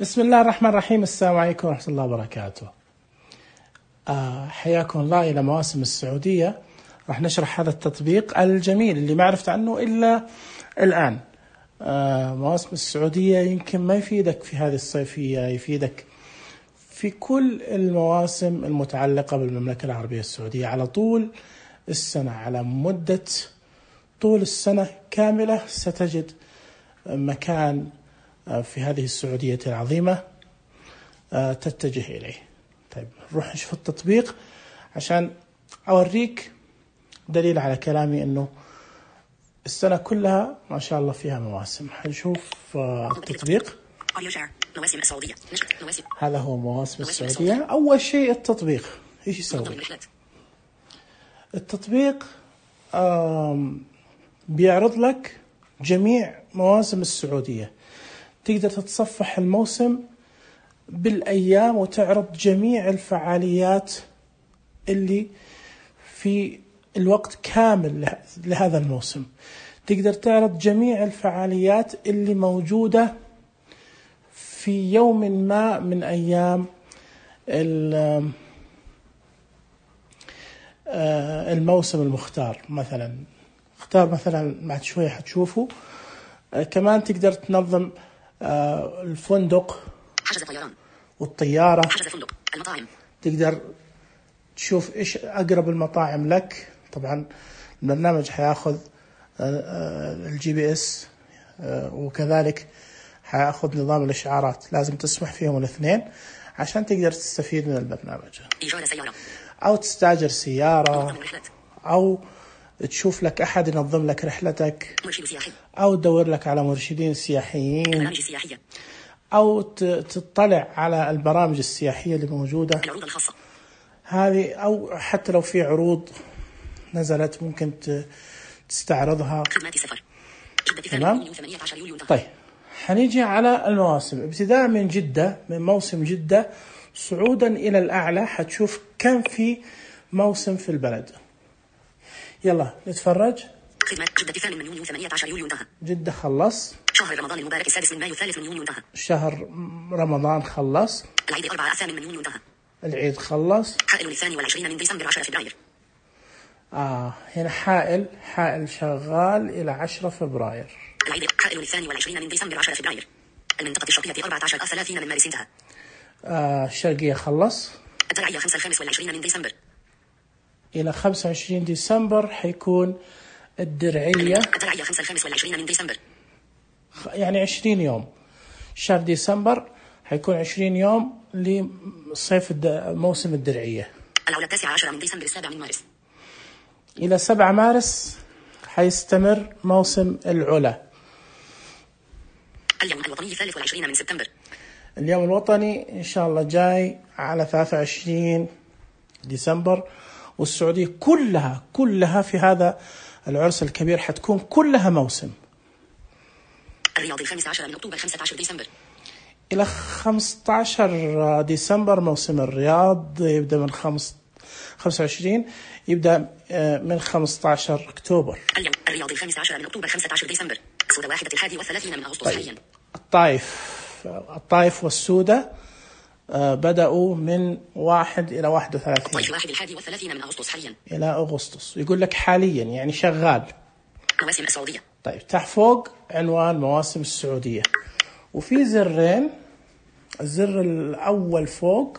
بسم الله الرحمن الرحيم. السلام عليكم ورحمة الله وبركاته. حياكم الله إلى مواسم السعودية. راح نشرح هذا التطبيق الجميل اللي ما عرفت عنه إلا الآن. مواسم السعودية يمكن ما يفيدك في هذه الصيفية، يفيدك في كل المواسم المتعلقة بالمملكة العربية السعودية على طول السنة، على مدة طول السنة كاملة ستجد مكان في هذه السعودية العظيمة تتجه إليه. طيب نروح نشوف التطبيق عشان أوريك دليل على كلامي أنه السنة كلها ما شاء الله فيها مواسم. هنشوف التطبيق. هذا هو مواسم السعودية. أول شيء التطبيق إيش يسوي؟ التطبيق بيعرض لك جميع مواسم السعودية، تقدر تتصفح الموسم بالأيام وتعرض جميع الفعاليات اللي في الوقت كامل لهذا الموسم. تقدر تعرض جميع الفعاليات اللي موجودة في يوم ما من أيام الموسم المختار. مثلا اختار مثلا بعد شوية حتشوفوا. كمان تقدر تنظم الفندق، حجز الطيران والطيارة، حجز الفندق، المطاعم. تقدر تشوف إيش أقرب المطاعم لك. طبعا البرنامج حياخذ الGPS وكذلك حياخذ نظام الإشعارات، لازم تسمح فيهم الاثنين عشان تقدر تستفيد من البرنامج. إيجار سيارة أو تستأجر سيارة، أو تشوف لك أحد ينظم لك رحلتك، مرشد سياحي، أو تدور لك على مرشدين سياحيين، البرامج السياحية، أو تطلع على البرامج السياحية اللي موجودة العروض الخاصة هذه، أو حتى لو في عروض نزلت ممكن تستعرضها. خدمات السفر. تمام. طيب حنيجي على المواسم ابتداء من جدة، من موسم جدة صعودا إلى الأعلى حتشوف كم في موسم في البلد. يلا نتفرج. خدمات جدة 8 من يونيو 18 يوليو انتهى. جدة خلص. شهر رمضان المبارك 6 من مايو 3 من يونيو انتهى. شهر رمضان خلص. العيد 4 8 من يونيو انتهى. العيد خلص. حائل 22 من ديسمبر 10 فبراير. هنا حائل شغال إلى 10 فبراير. العيد حائل 22 من ديسمبر 10 فبراير. المنطقة الشرقية 14 30 من مارس انتهى. الشرقية خلص. الدرعية 25 من ديسمبر. إلى 25 ديسمبر حيكون الدرعية. الدرعية 25 من ديسمبر. يعني 20 يوم. شهر ديسمبر حيكون 20 يوم لصيف موسم الدرعية. العلا 19 من ديسمبر 7 من مارس. إلى 7 مارس حيستمر موسم العلا. اليوم الوطني 23 من سبتمبر. اليوم الوطني إن شاء الله جاي على 23 ديسمبر، والسعودية كلها في هذا العرس الكبير حتكون كلها موسم. الرياض 15 من أكتوبر 15 ديسمبر. إلى 15 ديسمبر موسم الرياض يبدأ من 25 يبدأ من 15 أكتوبر. اليوم الرياض 15 من أكتوبر 15 ديسمبر. السودة 31 من أغسطس حاليا. الطائف والسودة بدأوا من 1 إلى 31. الطائف 31 من أغسطس حاليا. إلى أغسطس. يقول لك حاليا يعني شغال. مواسم السعودية. طيب تحت فوق عنوان مواسم السعودية، وفي زرين. الزر الأول فوق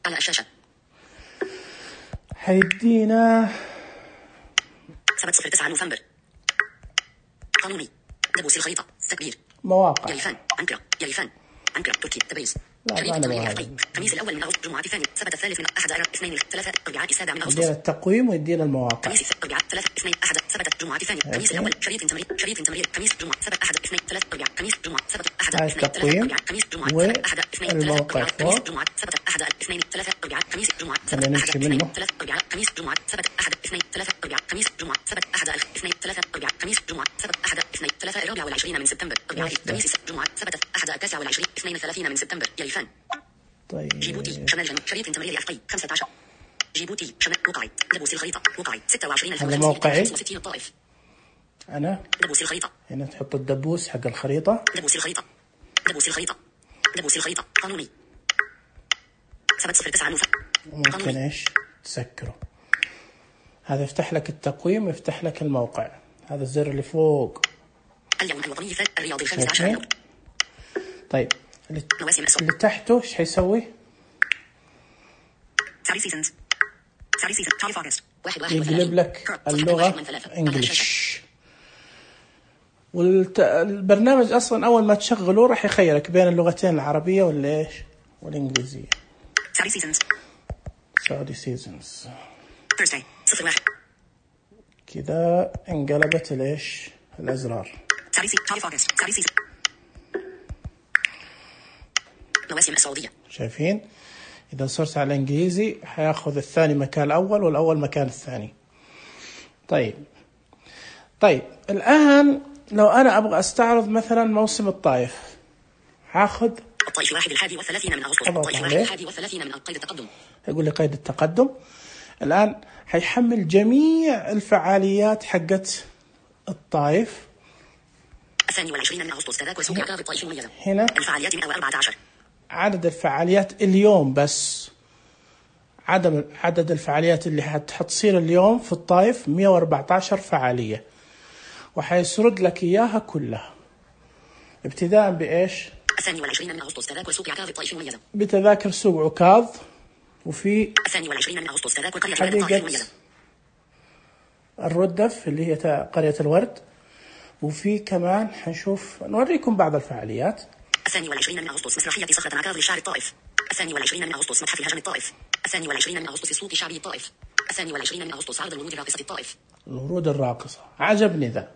على الشاشة حيدينا 7/9 نوفمبر. قانوني دبوس الخريطة تكبير مواقع يلفان أنقرة تركي تبريز. خميس الأول من أغسطس، جمعة الثاني، سبت الثالث من 1 2 3 4 7 من أغسطس. يدينا التقويم ويدينا المواقع. خميس 4 3 2 1 سبت، جمعة الثاني، خميس الأول شريط تمرير خميس جمعة 7 1 2 3 4 خميس جمعة 7 1 2 3 4 خميس جمعة 1 2 3 4 خميس جمعة 7 1 2 3 4 خميس جمعة 7 1 2 3 4 خميس جمعة 7 1 2 3 4 خميس جمعة 7 1 2 3 4 خميس جمعة 7 1 2 3 24 من سبتمبر. خميس جمعة 7 1 29 32 من سبتمبر. يلفان. طيب جيبوتي شمال جنوب شريط تمرير عفقي 15. جيبوتي شمال موقعي دبوس الخريطة موقعي 26 هذا موقعي. 65 الطائف. أنا دبوس الخريطة. هنا تحط الدبوس حق الخريطة. دبوس الخريطة. دبوس الخريطة قانوني. ثبت 09 نوفمبر. ممكن إيش تسكره. هذا يفتح لك التقويم ويفتح لك الموقع. هذا الزر اللي فوق. اليوم الوطني الرياضي 15. طيب اللي تحته ايش حيسوي؟ يقلب لك اللغة انجلش. والبرنامج اصلا اول ما تشغله راح يخيرك بين اللغتين العربية ولا ايش والانجليزية. سعودي سيزونز كذا انقلبت الايش الازرار. مواسم السعودية. شايفين إذا صرت على الإنجليزي حياخذ الثاني مكان الأول والأول مكان الثاني. طيب الآن لو أنا أبغى أستعرض مثلا موسم الطائف هاخذ الطائف 31 من أغسطس. الطائف 31 من قيد التقدم. يقول لي قيد التقدم. الآن حيحمل جميع الفعاليات حقت الطائف. 22 من أغسطس تذاكر سوق عقاب الطائف مميزة. هنا الفعاليات 114. عدد الفعاليات اليوم بس. عدد الفعاليات اللي حتصير اليوم في الطائف 114 فعالية وحيسرد لك إياها كلها ابتداء بإيش؟ 22 من أغسطس تذاكر سوق عكاظ الطائف مميزة. بتذاكر سوق عكاظ وفي 22 من أغسطس تذاكر قرية حديقة الردف اللي هي قرية الورد. وفي كمان حنشوف نوريكم بعض الفعاليات. 22 من أغسطس مسرحية صخرة عكاظ للشعر الطائف. 22 من أغسطس متحف الهجم الطائف. 22 من أغسطس سوق شعبي الطائف. 22 من أغسطس عرض الورود الراقصة الطائف. الورود الراقصة عجبني ذا.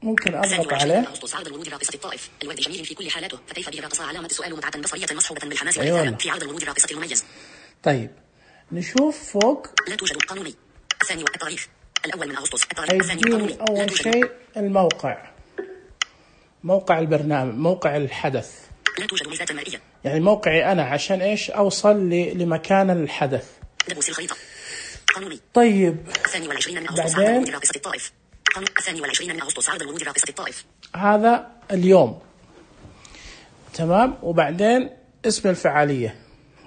ممكن أضغط عليه. 22 أغسطس عرض الورود الراقصة الطائف. الورد جميل في كل حالاته فكيف به راقصة علامة السؤال متعة بصرية مصحوبة بالحماس والإثارة في عرض الورود الراقصة المميز. طيب نشوف فوق. لا توجد قانوني. الثاني التاريخ الأول من أغسطس. التاريخ الثاني قانوني. أول شيء الموقع. موقع البرنامج موقع الحدث. لا توجد ميزات مرئية. يعني موقعي أنا عشان إيش أوصل لمكان الحدث. دبوس الخريطة قانوني. طيب 22 من أغسطس عرض الورود الراقصة الطائف. 22 من أغسطس عرض الورود الراقصة الطائف. هذا اليوم تمام. وبعدين اسم الفعالية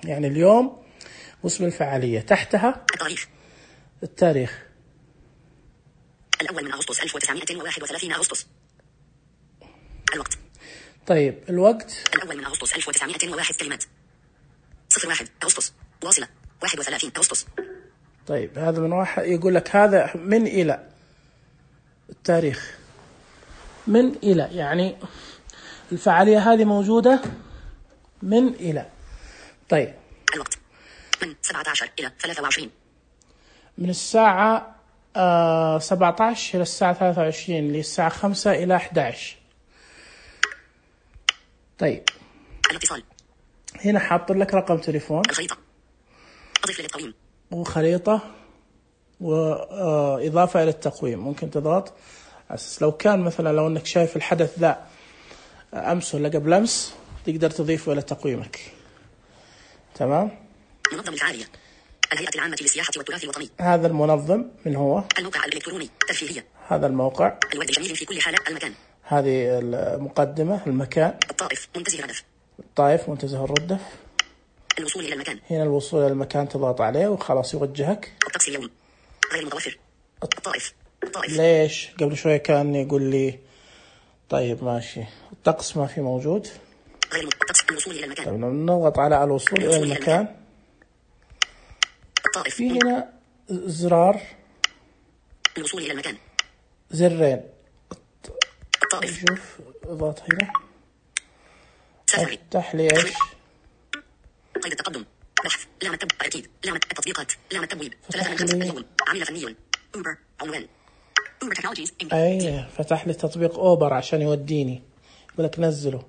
يعني اليوم واسم الفعالية تحتها التاريخ الأول من أغسطس 1931 أغسطس. الوقت. طيب الوقت الأول من أغسطس 1901 كلمات. 01 أغسطس واصلة 31 أغسطس. طيب هذا من واحد يقول لك هذا من إلى التاريخ من إلى يعني الفعالية هذه موجودة من إلى. طيب الوقت من 17 إلى 23 من الساعة 17 إلى الساعة 23 اللي الساعة 5 إلى 11. طيب الاتصال هنا حاط لك رقم تليفون. الخريطة أضيف للتقويم وخريطة وإضافة إلى التقويم. ممكن تضغط أساس لو كان مثلا لو أنك شايف الحدث ذا أمس ولا قبل أمس تقدر تضيفه إلى تقويمك. تمام. منظم الفعالية الهيئة العامة للسياحة والتراث الوطني. هذا المنظم من هو؟ الموقع الإلكتروني ترفيهية. هذا الموقع. الورد جميل في كل حالة. المكان. هذه المقدمة. المكان الطائف منتزه الردف. الطائف منتزه الردف. الوصول إلى المكان. هنا الوصول إلى المكان تضغط عليه وخلاص يوجهك. الطقس اليوم غير متوفر. الطائف. ليش قبل شوية كان يقول لي طيب ماشي الطقس ما في موجود. غير الطقس. الوصول إلى المكان. طيب نضغط على الوصول إلى المكان. الطائف. في هنا زرار الوصول إلى المكان. زرين. الطائف. شوف اضغط هنا. سفري. افتح لي ايش؟ قيد التقدم. بحث. لعنة أكيد. لعنة التطبيقات. لعنة تبويب. 3 من 5 اليوم. عميل فني. أوبر. عنوان. أوبر تكنولوجيز. أي فتح لي تطبيق أوبر عشان يوديني. يقول لك نزله.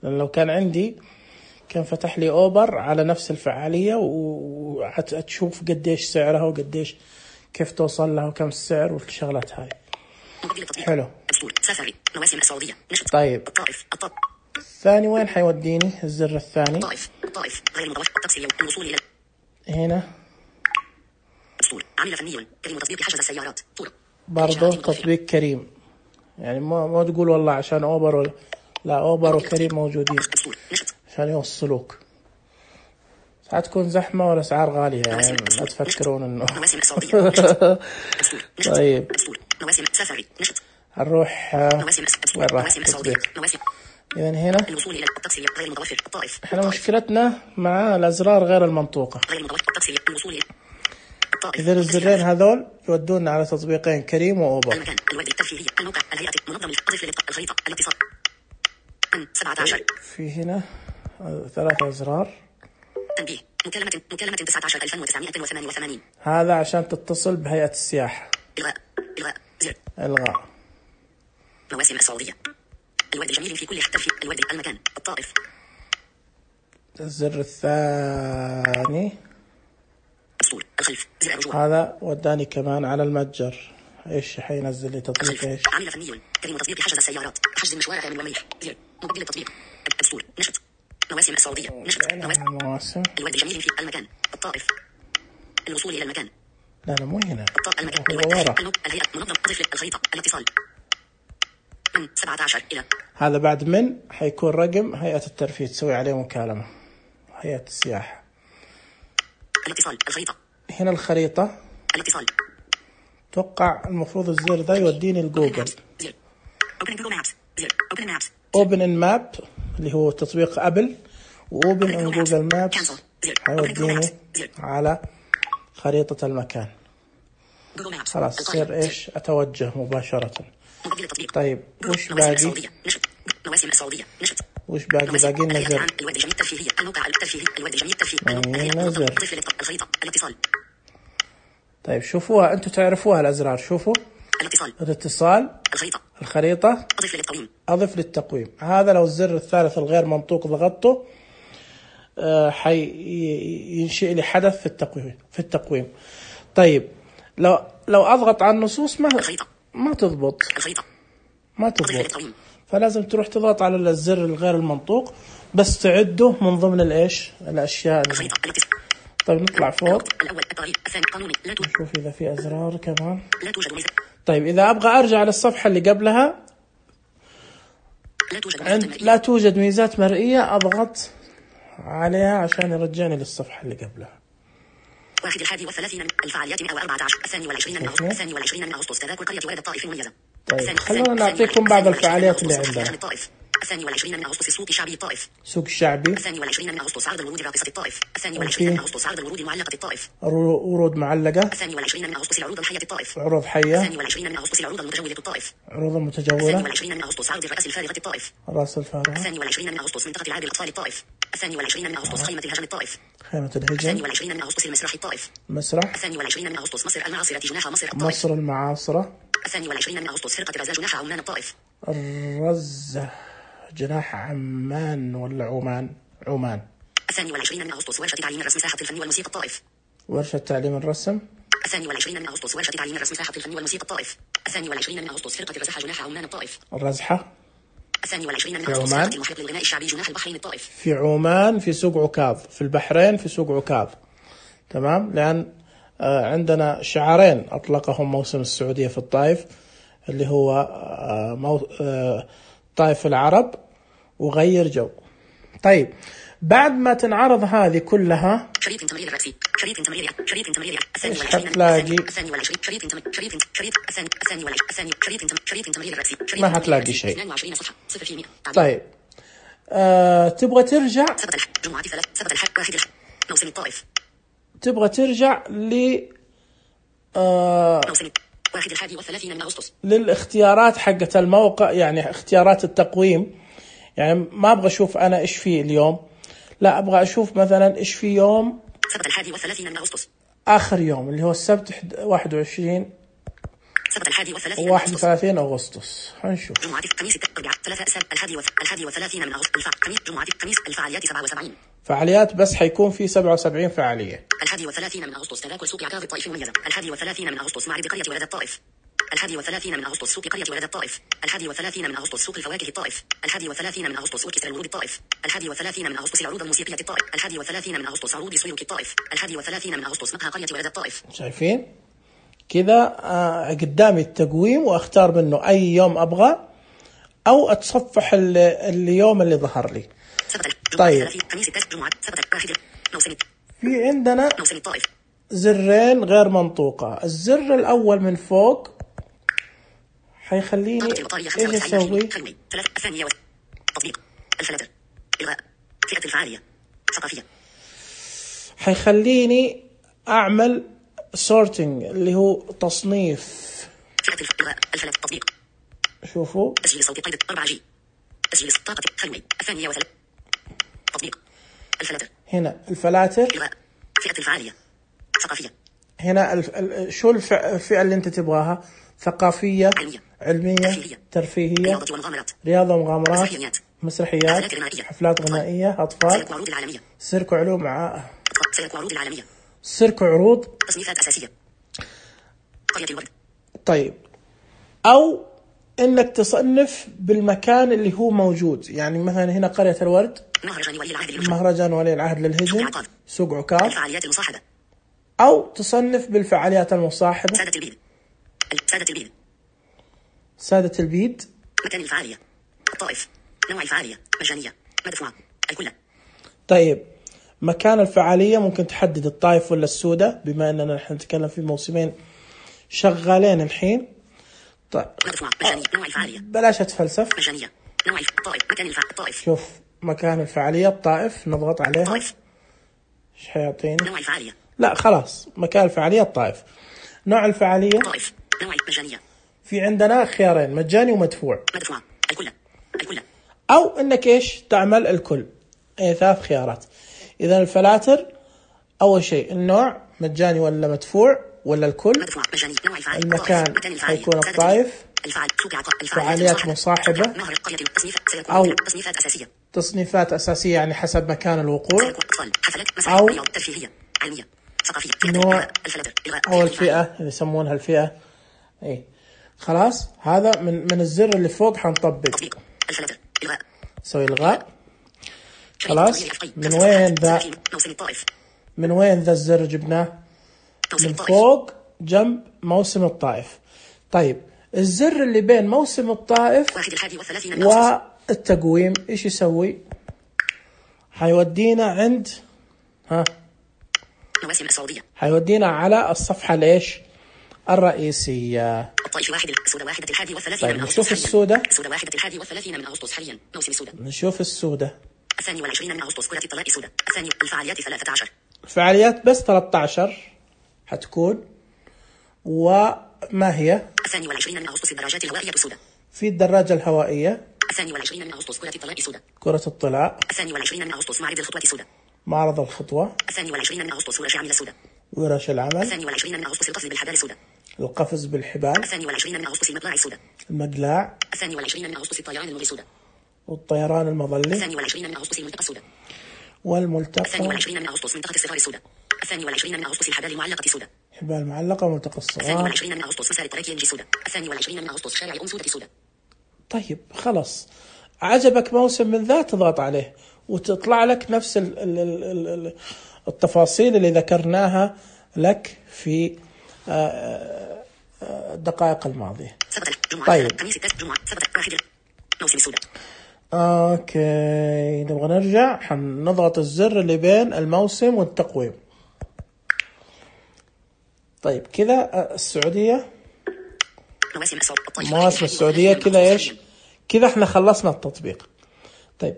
لأن لو كان عندي كان فتح لي أوبر على نفس الفعالية وهتشوف قديش سعرها وقديش كيف توصل لها وكم السعر والشغلات هاي. حلو. سفري. مواسم السعودية. طيب. الطائف. الثاني وين حيوديني؟ الزر الثاني. الطائف. غير متوفر. الطقس اليوم. الوصول إلى هنا. عمل فني. كريم تطبيق حجز السيارات. برضو تطبيق كريم. يعني ما تقول والله عشان أوبر ولا لا أوبر وكريم موجودين عشان يوصلوك. ساعات تكون زحمة والأسعار غالية يعني لا تفكرون إنه طيب نروح وين راح التطبيق؟ إذن هنا إحنا مشكلتنا مع الأزرار غير المنطوقة. إذن الزرين هذول يودونا على تطبيقين كريم وأوبر. في هنا 3 أزرار. تنبيه مكالمة 19,988. هذا عشان تتصل بهيئة السياحة. إلغاء زر. إلغاء. مواسم السعودية. الواد الجميل في كل حتة في الواد المكان الطائف. الزر الثاني. أسطول الخلف زر الرجوع. هذا وداني كمان على المتجر. إيش حينزل لي تطبيق إيش؟ عامل فني كريم تطبيق حجز السيارات حجز المشوار كامل ومليح زر مبدل التطبيق أسطول نشط مواسم السعودية نشط مواسم الواد الجميل في المكان الطائف الوصول إلى المكان. لا مو هنا. المكان الهيئة منظم أضف الخريطة الاتصال من 17 إلى. هذا بعد من حيكون رقم هيئة الترفيه تسوي عليه مكالمة هيئة السياحة. الاتصال الخريطة. هنا الخريطة. الاتصال. توقع المفروض الزر ده يوديني لجوجل. Open in Map اللي هو تطبيق أبل وOpen in Google Maps هيوديني على خريطة المكان. خلاص صير إيش أتوجه مباشرة. طيب وش باقي؟ وش باقي نزل. طيب شوفوها أنتوا تعرفوها الأزرار. شوفوا الاتصال الخريطة أضف للتقويم. هذا لو الزر الثالث الغير منطوق ضغطته ينشئ لي حدث في التقويم. طيب لو أضغط على النصوص ما تضبط. فلازم تروح تضغط على الزر الغير المنطوق بس تعده من ضمن الأشياء. طيب نطلع فوق نشوف إذا في أزرار كمان. طيب إذا أبغى أرجع للصفحة اللي قبلها لا توجد ميزات مرئية أضغط عليها عشان يرجعني للصفحة اللي قبلها. 31 الفعاليات 114 22 من أغسطس تذاكر قرية وادي الطائف مميزة. طيب خلونا نعطيكم بعض الفعاليات اللي عندنا. 22 من أغسطس السوق الشعبي الطائف. سوق الشعبي. 22 من أغسطس عرض الورود راقصة الطائف. 22 من أغسطس عرض الورود معلقة الطائف. ورود معلقة. 22 من أغسطس العروض الحية الطائف. عروض حية. 22 من أغسطس العروض المتجولة الطائف. عروض متجولة. 22 من أغسطس عرض الرأس الفارغة الطائف. الرأس الفارغة. 22 من أغسطس منطقة العاب الأطفال الطائف. 22 من أغسطس خيمة الهجم الطائف. خيمة الهجم. 22 من أغسطس المسرح الطائف. مسرح. 22 من أغسطس مصر المعاصرة جناح مصر الطائف. مصر المعاصرة. 22 من أغسطس فرقة الرزاج جناح عمان الطائف. الرزة جناح عمان ولا عمان. 22 من أغسطس ورشة تعليم الرسم ساحة الفن والموسيقى الطائف. ورشة تعليم الرسم. 22 من أغسطس ورشة تعليم الرسم ساحة الفن والموسيقى الطائف. 22 من أغسطس فرقة الرزحة جناح عمان الطائف. الرزحة. 22 من أغسطس فرقة المحيط للغناء الشعبي جناح البحرين الطائف. في عمان في سوق عكاظ. في البحرين في سوق عكاظ. تمام. لأن عندنا شعارين أطلقهم موسم السعودية في الطائف اللي هو طائف العرب وغير جو. طيب بعد ما تنعرض هذه كلها شريط تمرير الرأسي شريط تمرير ما هتلاقي شيء. طيب تبغى ترجع موسم الطائف. تبغى ترجع موسم 31 من أغسطس للاختيارات حقة الموقع يعني اختيارات التقويم. يعني ما أبغى أشوف أنا إيش فيه اليوم لا أبغى أشوف مثلا إيش في يوم 31 من أغسطس آخر يوم اللي هو السبت 21 31 أغسطس. هنشوف جمعة خميس الأربعاء 31 من أغسطس خميس جمعة خميس الفعاليات 77 فعاليات بس حيكون في 77 فعالية. 31 من أغسطس تذاكر سوق عكاظ الطائف مميزة. 31 من أغسطس معرض قرية ولد الطائف. 31 من أغسطس سوق قرية ولد الطائف. 31 من أغسطس سوق الفواكه الطائف. 31 من أغسطس أوركسترا الورود الطائف. 31 من أغسطس العروض الموسيقية الطائف. 31 من أغسطس عروض سويروك الطائف. 31 من أغسطس مقهى قرية ولد الطائف. شايفين كذا قدامي التقويم واختار منه أي يوم أبغى أو أتصفح اليوم اللي ظهر لي. طيب في عندنا زرين غير منطوقة. الزر الأول من فوق حيخليني إيش أسوي؟ تطبيق الفلاتر إلغاء فئة الفعالية ثقافية. حيخليني أعمل sorting اللي هو تصنيف. فئة إلغاء الفلاتر تطبيق. شوفوا تسجيل صوتي قيد 4G. تسجيل طاقة خلوي 2 تطبيق الفلاتر. هنا الفلاتر إلغاء فئة الفعالية ثقافية. هنا شو الفئة اللي أنت تبغاها؟ ثقافية، علمية، ترفيهية، رياضة ومغامرات، مسرحيات، حفلات غنائية، أطفال، سيرك وعلوم سيرك وعروض، تصنيفات أساسية، قرية الورد. طيب أو إنك تصنف بالمكان اللي هو موجود، يعني مثلا هنا قرية الورد، مهرجان ولي العهد للهجن، سوق عكاظ، الفعاليات المصاحبة. أو تصنف بالفعاليات المصاحبة. سادة البيد، سادة البيد، مكان الفعالية، الطائف، نوع الفعالية، مجانية، مدفوعة، الكل. طيب مكان الفعالية ممكن تحدد الطائف ولا السودة، بما أننا نحن نتكلم في موسمين شغالين الحين. طيب مدفوعة، مجانية، نوع الفعالية، بلاش أتفلسف. مجانية، نوع الطائف، مكان الطائف. شوف مكان الفعالية الطائف، نضغط عليها طائف. إيش حيعطيني؟ نوع الفعالية. لا خلاص، مكان الفعالية الطائف. نوع الفعالية طائف، نوع مجانية. في عندنا خيارين، مجاني ومدفوع. مدفوع، الكل. أو إنك إيش تعمل الكل. 3 خيارات. إذا الفلاتر أول شيء النوع مجاني ولا مدفوع ولا الكل. مدفوع، مجاني، نوع الفعالية. المكان حيكون الطائف. فعاليات مصاحبة. أو تصنيفات أساسية. تصنيفات أساسية يعني حسب مكان الوقوع. أو ترفيهية، علمية، ثقافية. نوع أو الفئة اللي يسمونها الفئة. إيه خلاص، هذا من الزر اللي فوق حنطبق. سوي إلغاء. خلاص. من وين ذا الزر جبناه؟ من فوق جنب موسم الطائف. طيب الزر اللي بين موسم الطائف والتقويم إيش يسوي؟ حيودينا عند مواسم السعودية. حيودينا على الصفحة الإيش؟ الرئيسية. الطائف 1 السودة 31 طيب نشوف السودة. السودة 31 من أغسطس حاليا موسم السودة. نشوف السودة. 22 من أغسطس كرة الطلاء السودة. الفعاليات 13. الفعاليات بس 13 حتكون. وما هي؟ 22 من أغسطس الدراجات الهوائية السودة. في الدراجة الهوائية. 22 من أغسطس كرة الطلاء السودة. كرة الطلاء. 22 من أغسطس معرض الخطوة السودة. معرض الخطوة. 22 من أغسطس ورش عمل السودة. ورش العمل. 22 من أغسطس القفز بالحبال السودة. القفز بالحبال. 22 من أغسطس المقلاع السودة. المقلاع. 22 من أغسطس الطيران المظلي السودة. والطيران المظلي. 22 من أغسطس الملتقى السودة. والملتقى. 22 من أغسطس منطقة الصغار السودة. 22 من أغسطس الحبال المعلقة السودة. حبال معلقة وملتقى الصغار. 22 من أغسطس مسار التراكي ينجي السودة. 22 من أغسطس شارع سودة السودة. طيب خلاص، عجبك موسم من ذا تضغط عليه وتطلع لك نفس التفاصيل اللي ذكرناها لك في الدقائق الماضية. طيب موسم السودة. اوكي، نبغى نرجع، حنضغط الزر اللي بين الموسم والتقويم. طيب كذا السعودية، مواسم السعودية كذا ايش؟ كذا احنا خلصنا التطبيق. طيب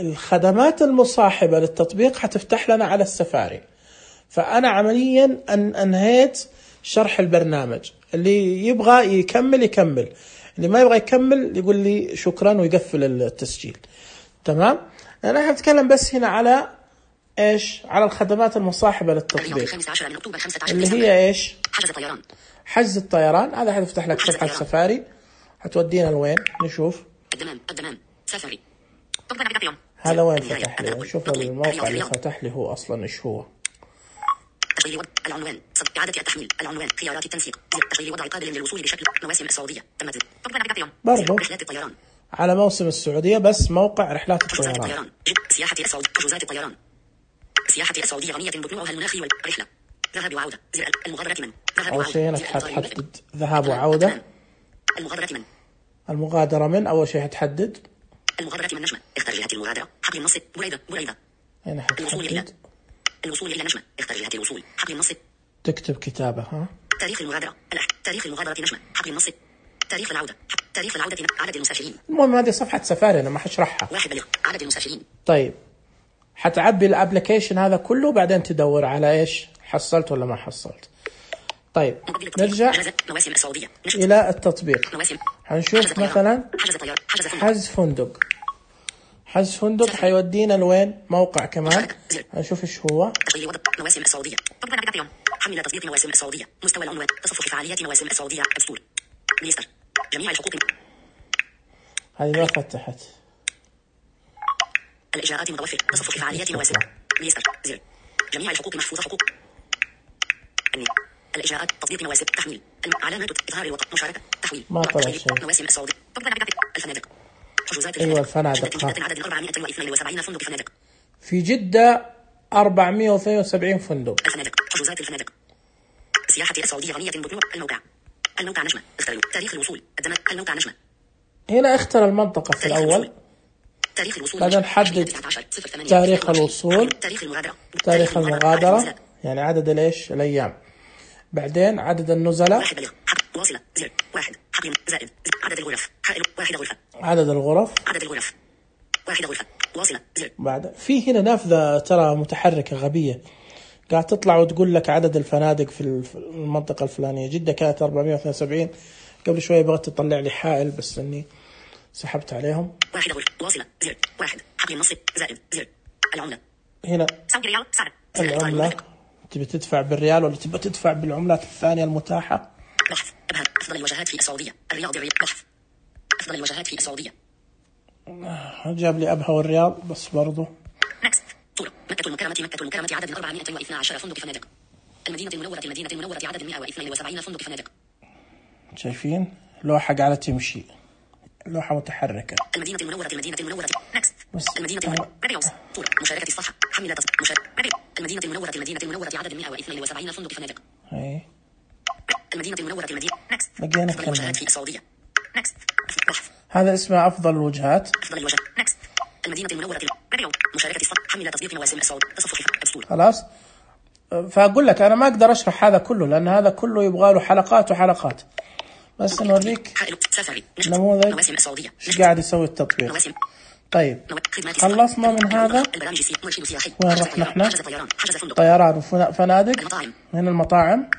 الخدمات المصاحبة للتطبيق حتفتح لنا على السفاري. فأنا عمليا أنهيت شرح البرنامج. اللي يبغى يكمل، اللي ما يبغى يكمل يقول لي شكرا ويقفل التسجيل. تمام؟ أنا حنتكلم بس هنا على إيش؟ على الخدمات المصاحبة للتطبيق اللي هي إيش؟ حجز الطيران. هذا حتفتح لك صفحة سفاري، حتودينا لوين؟ نشوف. الدمام سفاري. هذا وين فتح لي؟ شوف الموقع اللي فتح لي هو أصلا إيش هو. تشغيل العنوان، إعادة التحميل، العنوان، خيارات التنسيق، تشغيل وضع قابل للوصول بشكل مواسم السعودية تمت. برضو رحلات الطيران على موسم السعودية، بس موقع رحلات الطيران. سياحة السعودية، حجوزات الطيران، سياحة السعودية غنية بطلوعها المناخي والرحلة، ذهاب وعودة، المغادرة من، أول شيء هنا حتحدد ذهاب وعودة. المغادرة من، المغادرة من أول شيء هتحدد المغادرة من نجمة، اختر جهة المغادرة، حقل النص، بريدة. هنا الوصول إلى نجمة، اختر جهة الوصول، حقل النص. تكتب كتابة. تاريخ المغادرة، تاريخ المغادرة نجمة، حقل النص. تاريخ العودة، عدد المسافرين. المهم هذه صفحة سفاري أنا ما حشرحها. 1 بلغ، عدد المسافرين. طيب حتعبي الابلكيشن هذا كله وبعدين تدور على ايش حصلت ولا ما حصلت. طيب نرجع إلى التطبيق. هنشوف مثلا حجز فندق. حجز فندق حيودينا لوين؟ موقع كمان. هنشوف ايش هو. مواسم السعودية. حمل تطبيق مواسم السعودية. مستوى العنوان. تصفح فعاليات مواسم السعودية. أبستور. ميستر. جميع الحقوق. هذه ما فتحت. الإجراءات متوفرة. تصفح فعاليات مواسم. ميستر. زر. جميع الحقوق محفوظة. حقوق. الإجراءات. تطبيق مواسم. تحميل. علامات إظهار الوطن. مشاركة. تحويل. ما طلع شيء. مواسم السعودية. الفنادق. حجوزات أيوة الفنادق. الفنادق. عدد 472 فندق فنادق. في جدة 472 فندق. الفنادق. حجوزات الفنادق. سياحة السعودية غنية بطنوع. الموقع نجمة. اختر تاريخ الوصول. الموقع نجمة. هنا اختر المنطقة في الأول. تاريخ الوصول. بعدين حدد تاريخ الوصول. تاريخ المغادرة يعني عدد الايش الأيام. بعدين عدد النزلاء. 1 بلغ. واصلة. زر. 1 حقل زائد. عدد الغرف. حائل 1 غرفة. عدد الغرف. 1 غرفة. واصلة. زر. بعد في هنا نافذة ترى متحركة غبية قاعد تطلع وتقول لك عدد الفنادق في المنطقة الفلانية. جدة كانت 472. قبل شوية بغيت تطلع لي حائل بس اني سحبت عليهم. 1 غرفة. واصلة. زر. 1 حقل النص زائد. زر. العملة. هنا سعودي ريال. سعر. العملة. تبي تدفع بالريال ولا تبي تدفع بالعملات الثانية المتاحة؟ بحث. أبها. أفضل الوجهات في السعودية. الرياض. بحث. أفضل الوجهات في السعودية. جاب لي أبها والرياض بس برضو. نكست. صورة. مكة المكرمة عدد 412 فندق فنادق. المدينة المنورة عدد 172 فندق فنادق. شايفين لوحة قاعدة تمشي. لوحة متحركة. المدينة المنورة. نكست. المدينة المنورة. صورة. مشاركة الصفحة. حمل المدينة المنورة عدد 172 فندق فنادق. هاي. المدينة المنورة. نكست. لقينا أفضل الوجهات في السعودية. نكست. هذا اسمه أفضل الوجهات. نكست. المدينة المنورة. مشاركة الصفحة. حمل تطبيق مواسم السعودية. تصفح أبستور. خلاص. فأقول لك أنا ما أقدر أشرح هذا كله لأن هذا كله يبغى له حلقات وحلقات. بس نوريك نموذج إيش قاعد يسوي التطبيق. طيب خلصنا من هذا. وين رحنا احنا؟ طيران وفنادق. هنا المطاعم.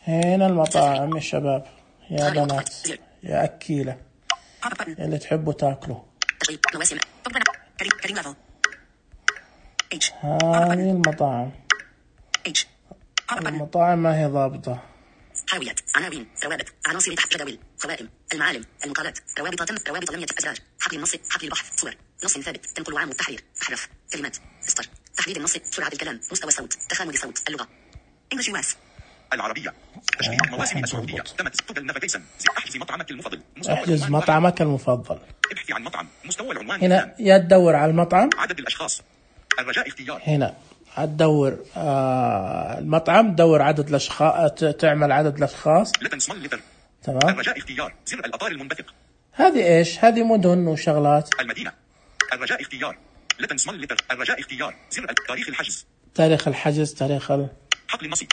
هنا المطاعم يا شباب يا بنات يا أكيلة اللي تحبوا تاكلوا. هذه المطاعم. المطاعم ما هي ضابطة. حاويات. عناوين. روابط. عناصر تحت. جداول. قوائم. المعالم. المقالات. روابط لم أزرار. حقل النص. حقل البحث. صور. نص ثابت. تنقل وعام التحرير. أحرف. كلمات. استر. تحديد النص. سرعة الكلام. مستوى الصوت. تخامل الصوت. اللغة. English US. العربية. تشغيل مواسم السعودية. تمت. تقل نافيجيشن. احجز مطعمك المفضل. احجز مطعمك المفضل. ابحث عن مطعم. مستوى العنوان. هنا يا تدور على المطعم. عدد الأشخاص. الرجاء اختيار. هنا تدور المطعم. دور عدد الأشخاص. تعمل عدد الأشخاص. تمام. الرجاء اختيار. زر الأطار المنبثق. هذه إيش؟ هذه مدن وشغلات. المدينة. الرجاء اختيار. الرجاء اختيار. زر تاريخ الحجز. تاريخ الحجز. تاريخ حقل النص.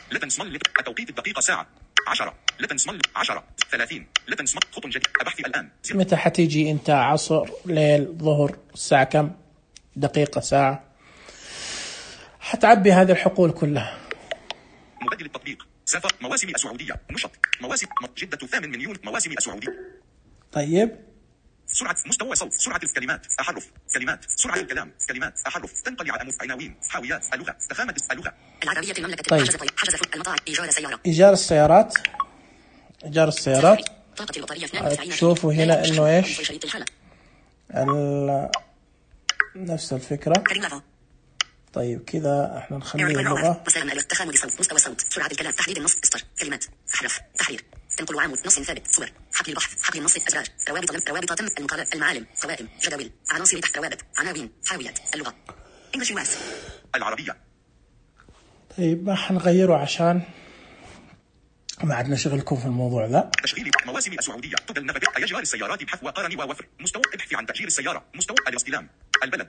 التوقيت الدقيقة ساعة 10. 10 30. خط جديد. أبحث الآن. متى حتيجي أنت؟ عصر، ليل، ظهر، الساعة كم؟ دقيقة، ساعة. حتعبي هذه الحقول كلها. مبدل التطبيق. سفر مواسم السعودية. نشط مواسم جدة 8 مليون مواسم السعودية. طيب. سرعة مستوى صوت. سرعة الكلمات. أحرف. كلمات. سرعة الكلام. كلمات. أحرف. تنقل عناوين. حاويات. اللغة. تخامة اللغة. العربية المملكة. طيب. حجز المطاعم. إيجار سيارة. إيجار السيارات. إيجار السيارات. تشوفوا هنا إنه إيش؟ نفس الفكرة. طيب كذا احنا نخلي اللغة. تخامل الصوت. مستوى الصوت. سرعة الكلام. تحديد النص. استر. كلمات. أحرف. تحرير. تنقل وعام. نص ثابت. صور. حقل البحث. حقل النص. أزرار. روابط تم. المقالات. المعالم. قوائم. جداول. عناصر تحت. روابط. عناوين. حاويات. اللغة. English US. العربية. طيب ما حنغيره عشان ما عدنا شغلكم في الموضوع ذا. تشغيل مواسم السعودية تدى النفق أيجار السيارات بحث وقارن ووفر مستوى ابحث عن تأجير السيارة مستوى الاستلام البلد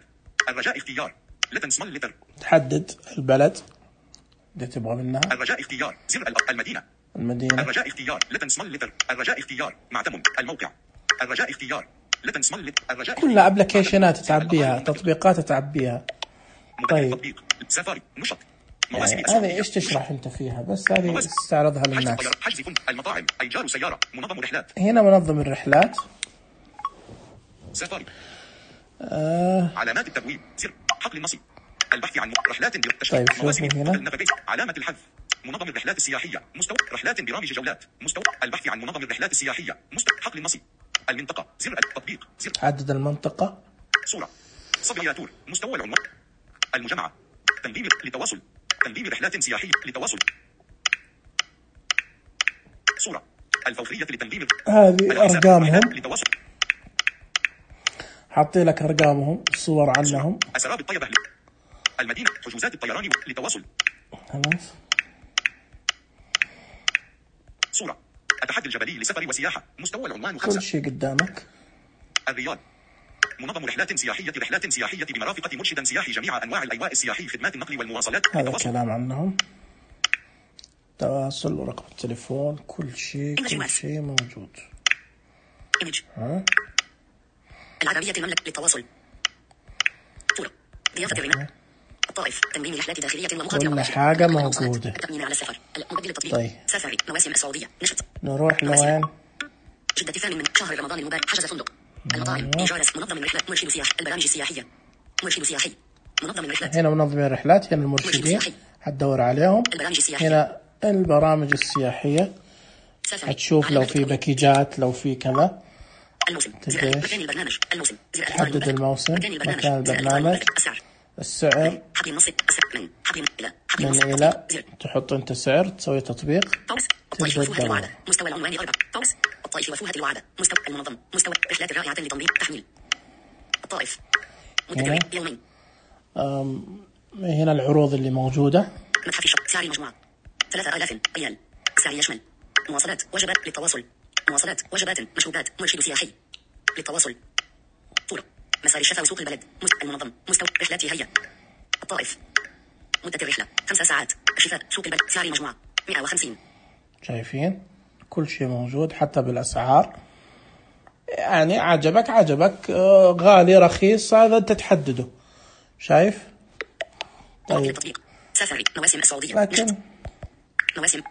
الرجاء اختيار لتن سمال لتر تحدد البلد اللي تبغى منها. الرجاء اختيار زر المدينة الرجاء اختيار لتن سمال لتر الرجاء اختيار معتمد الموقع الرجاء اختيار لتن سمال لتر الرجاء كلها ابلكيشنات تعبيها تطبيقات تعبيها. طيب تطبيق سفاري نشط يعني هذه ايش تشرح انت فيها بس هذه استعرضها للناس. حجز المطاعم ايجار سيارة منظم رحلات هنا منظم الرحلات سفاري علامات التبويب زر حقل النصيب البحث عن رحلات طيب شوفوا هنا علامة الحذف منظم الرحلات السياحية مستوى رحلات برامج جولات مستوى البحث عن منظم الرحلات السياحية مستوى حقل النصيب المنطقة زر التطبيق زر حدد المنطقة صورة صبياتور مستوى العنوان المجمعة تنظيم لتواصل تنظيم رحلات سياحية لتواصل صورة الفورية لتنظيم هذه أرقامهم لتواصل حاطين لك أرقامهم صور عنهم أسراب الطيبة المدينة حجوزات الطيران لتواصل خلاص صورة التحدي الجبلي لسفر وسياحة مستوى العنوان كل شيء قدامك. الرياض منظم رحلات سياحية بمرافقة مرشد سياحي جميع أنواع الأيواء السياحي خدمات النقل والمواصلات هذا كلام عنهم تواصل ورقم التليفون كل شيء موجود. العربية المملكة للتواصل صورة ضيافة الرمال الطائف تنظيم رحلات داخلية ومقاطعة كل حاجة موجودة. التأمين على السفر المبدل التطبيق طيب سفري مواسم السعودية نشط نروح لوين؟ جدة الثاني من شهر رمضان المبارك حجز فندق المطاعم إيجار منظم الرحلات مرشد سياحي البرامج السياحية مرشد سياحي منظم الرحلات هنا منظم الرحلات هنا المرشدين حتدور عليهم هنا البرامج السياحية هتشوف لو في باكيجات لو في كذا الموسم مكان البرنامج الموسم تحدد الموسم مكان البرنامج السعر من إلى تحط أنت سعر تسوي تطبيق الطائف وفوهة الوعدة مستوى العنوان 4 الطائف وفوهة الوعدة مستوى المنظم مستوى رحلات رائعة لتنظيم تحميل الطائف مدة يومين. هنا العروض اللي موجودة متحف الشط سعر المجموعة 3000 ريال سعر يشمل مواصلات وجبات للتواصل مواصلات وجبات مشروبات مرشد سياحي للتواصل صورة مسار الشفا وسوق البلد المنظم مستوى رحلات هيئة الطائف مدة الرحلة 5 ساعات الشفاء سوق البلد سعر المجموعة 150. شايفين كل شيء موجود حتى بالأسعار يعني عجبك غالي رخيص هذا أنت تحدده شايف. طيب سفري مواسم السعودية لكن مواسم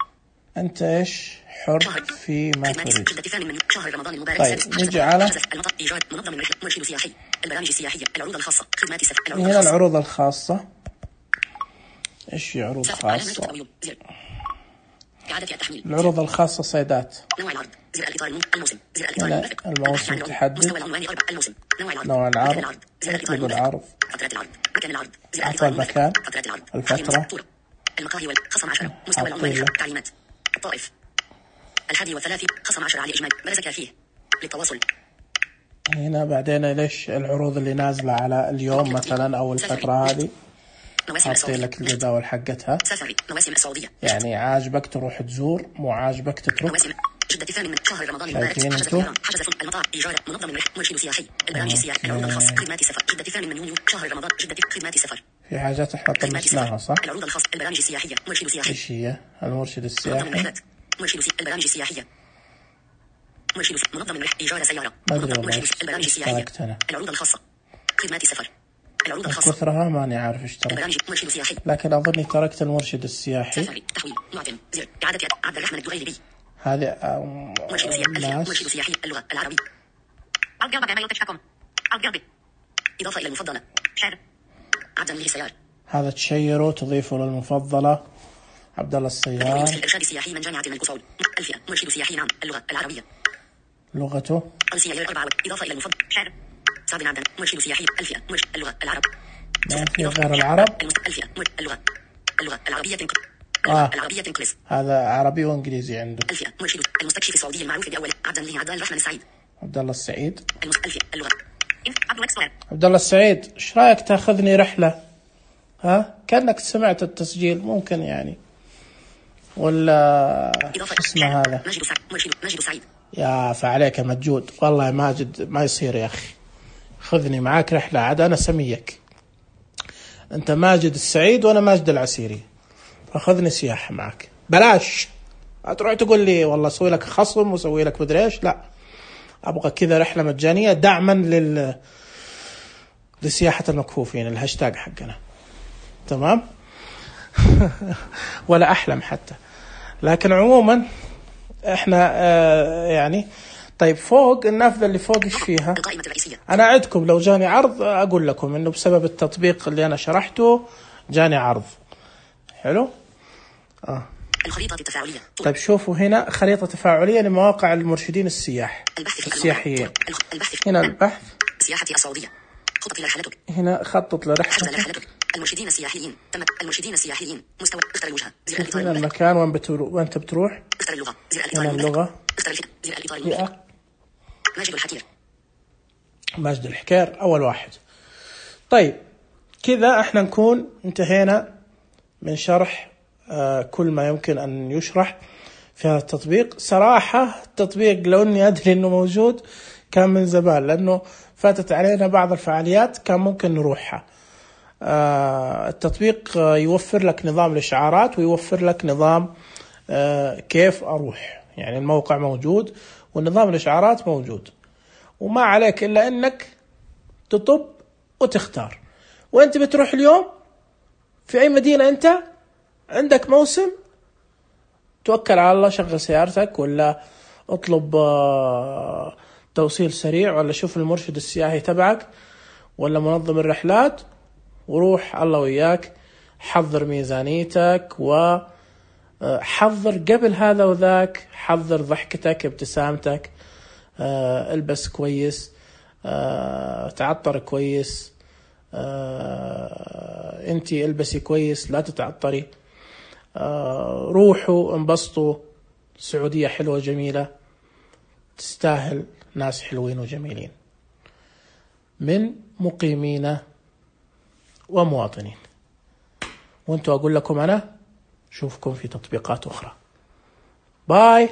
أنت إيش حر في ما تريد. شهر رمضان المبارك. طيب نجي على إيجاد منظم مرشد سياحي البرامج السياحية العروض الخاصة خدمات سفر هنا العروض الخاصة. إيش عروض خاصة؟ إعادة التحميل. العروض الخاصة صيدات. نوع العرض زر الإطار الموسم زر الإطار الموسم تحدد مستوى العنوان 4 الموسم نوع العرض اكتب العرض فترة العرض مكان العرض أعطى المكان فترة العرض الفترة المقاهي والخصم 10 مستوى العنوان تعليمات الطائف 31 خصم 10 على إجمال برزك فيه للتواصل. هنا بعدين ليش العروض اللي نازلة على اليوم مثلا أو الفترة هذه حاطين لك الجداول حقتها. سفري مواسم السعودية يعني عاجبك تروح تزور مو عاجبك تترك. جدة الثاني من شهر رمضان المبارك حجز فندق المطار إيجار منظم مرشد سياحي البرامج السياحية العروض الخاصة خدمات سفر جدة الثاني من يونيو شهر رمضان جدة خدمات سفر. في حاجات احنا طنشناها صح؟ العروض الخاصة البرامج السياحية مرشد سياحي. ايش هي المرشد السياحي؟ البرامج السياحية مرشد منظم إيجار سيارة ما ادري والله البرامج السياحية العروض الخاصة خدمات سفر العروض الخاصة كثرها ماني عارف ايش ترى لكن أظني تركت المرشد السياحي. سفري تحويل معتم زر إعادة عبد الرحمن الدغيلبي هذه مرشد سياحي اللغة العربية عبد قلبك ما يلتشكم عبد قلبي إضافة إلى المفضلة شعر عبد الله السيار هذا تشيره تضيفه للمفضلة عبد الله السيار. الإرشاد السياحي من جامعة الكسول الفئة مرشد سياحي نعم اللغة العربية لغته أمسية 4 إضافة إلى المفضل شعر سعد عبد مرشد سياحي الفئة مرشد اللغة العرب ما في غير العرب الفئة اللغة العربية العربية تنقلس هذا عربي وإنجليزي عنده. الفئة مرشد المستكشف السعودي المعروف بأول عبد الرحمن السعيد عبد الله السعيد الفئة اللغة عبد الله السعيد ايش رايك تاخذني رحلة؟ ها كأنك سمعت التسجيل ممكن يعني ولا شو اسمه هذا؟ ماجد سعيد. يا فعليك يا مجود، والله ماجد ما يصير يا أخي، خذني معاك رحلة عاد، أنا سميك أنت ماجد السعيد وأنا ماجد العسيري، فخذني سياحة معك بلاش. هتروح تقول لي والله أسوي لك خصم وأسوي لك مدري إيش، لا، أبغى كذا رحلة مجانية دعما لسياحة المكفوفين، الهاشتاج حقنا، تمام؟ ولا أحلم حتى. لكن عموما احنا يعني طيب، فوق النافذة اللي فوق ايش فيها؟ انا اعدكم لو جاني عرض اقول لكم انه بسبب التطبيق اللي انا شرحته جاني عرض حلو. الخريطة التفاعلية. طيب شوفوا هنا خريطة تفاعلية لمواقع المرشدين السياحيين. هنا البحث، سياحة السعودية، خطط لرحلتك، هنا خطط لرحلتك، المرشدين السياحيين، المرشدين السياحيين، مستوى، اختر الوجهة، هنا المكان وين بتروح، اختر اللغة، هنا اللغة، اختر الفئة، ماجد الحكير، ماجد الحكير أول واحد. طيب كذا احنا نكون انتهينا من شرح كل ما يمكن أن يشرح في هذا التطبيق. صراحة التطبيق لو أني أدري أنه موجود كان من زمان، لأنه فاتت علينا بعض الفعاليات كان ممكن نروحها. التطبيق يوفر لك نظام الإشعارات ويوفر لك نظام كيف أروح، يعني الموقع موجود والنظام الإشعارات موجود، وما عليك إلا أنك تطب وتختار وأنت بتروح اليوم في أي مدينة. أنت عندك موسم، توكل على الله، شغل سيارتك ولا اطلب توصيل سريع ولا شوف المرشد السياحي تبعك ولا منظم الرحلات وروح الله وياك. حضر ميزانيتك وحضر قبل هذا وذاك، حضر ضحكتك، ابتسامتك، البس كويس، تعطر كويس، انتي البسي كويس لا تتعطري، روحوا انبسطوا. السعودية حلوة جميلة، تستاهل ناس حلوين وجميلين من مقيمين ومواطنين. وانتوا أقول لكم أنا شوفكم في تطبيقات أخرى. باي.